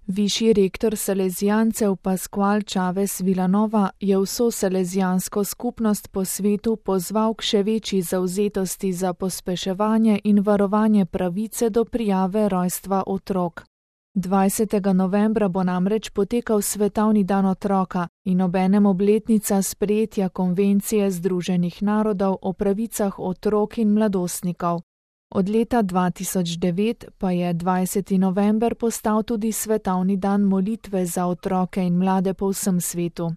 Višji rektor salezijancev Pascual Chavez Vilanova je vso salezijansko skupnost po svetu pozval k še večji zavzetosti za pospeševanje in varovanje pravice do prijave rojstva otrok. 20. novembra bo namreč potekal Svetovni dan otroka in obenem obletnica sprejetja Konvencije Združenih narodov o pravicah otrok in mladostnikov. Od leta 2009 pa je 20. november postal tudi Svetovni dan molitve za otroke in mlade po vsem svetu.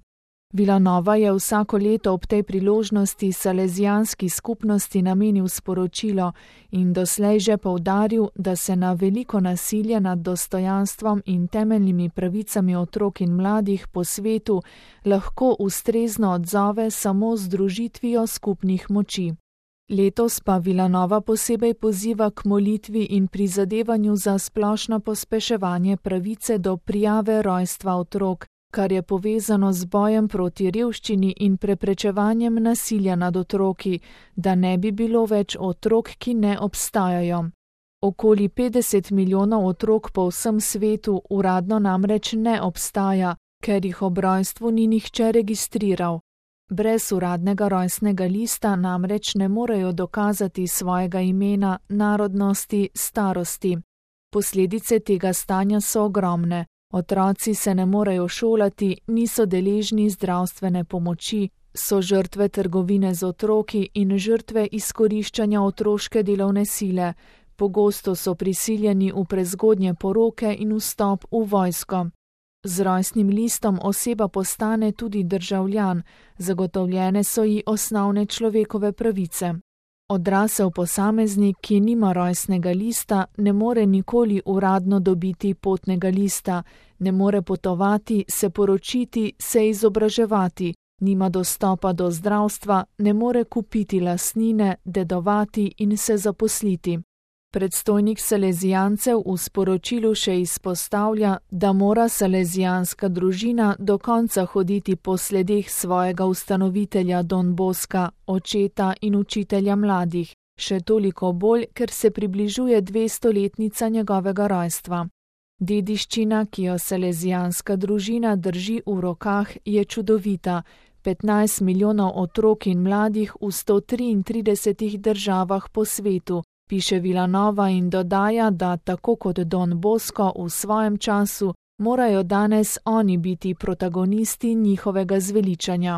Vilanova je vsako leto ob tej priložnosti salezijanski skupnosti namenil sporočilo in doslej že poudaril, da se na veliko nasilje nad dostojanstvom in temeljnimi pravicami otrok in mladih po svetu lahko ustrezno odzove samo z združitvijo skupnih moči. Letos pa Vilanova posebej poziva k molitvi in prizadevanju za splošno pospeševanje pravice do prijave rojstva otrok, kar je povezano z bojem proti revščini in preprečevanjem nasilja nad otroki, da ne bi bilo več otrok, ki ne obstajajo. Okoli 50 milijonov otrok po vsem svetu uradno namreč ne obstaja, ker jih ob rojstvu ni nihče registriral. Brez uradnega rojstnega lista namreč ne morejo dokazati svojega imena, narodnosti, starosti. Posledice tega stanja so ogromne. Otroci se ne morejo šolati, niso deležni zdravstvene pomoči, so žrtve trgovine z otroki in žrtve izkoriščanja otroške delovne sile. Pogosto so prisiljeni v prezgodnje poroke in vstop v vojsko. Z rojstnim listom oseba postane tudi državljan, zagotovljene so ji osnovne človekove pravice. Odrasel posameznik, ki nima rojstnega lista, ne more nikoli uradno dobiti potnega lista, ne more potovati, se poročiti, se izobraževati, nima dostopa do zdravstva, ne more kupiti lastnine, dedovati in se zaposliti. Predstojnik salezijancev v sporočilu še izpostavlja, da mora salezijanska družina do konca hoditi po sledeh svojega ustanovitelja Don Bosca, očeta in učitelja mladih, še toliko bolj, ker se približuje 200-letnica njegovega rojstva. Dediščina, ki jo salezijanska družina drži v rokah, je čudovita. 15 milijonov otrok in mladih v 133 državah po svetu, piše Vilanova in dodaja, da tako kot Don Bosco v svojem času, morajo danes oni biti protagonisti njihovega zveličanja.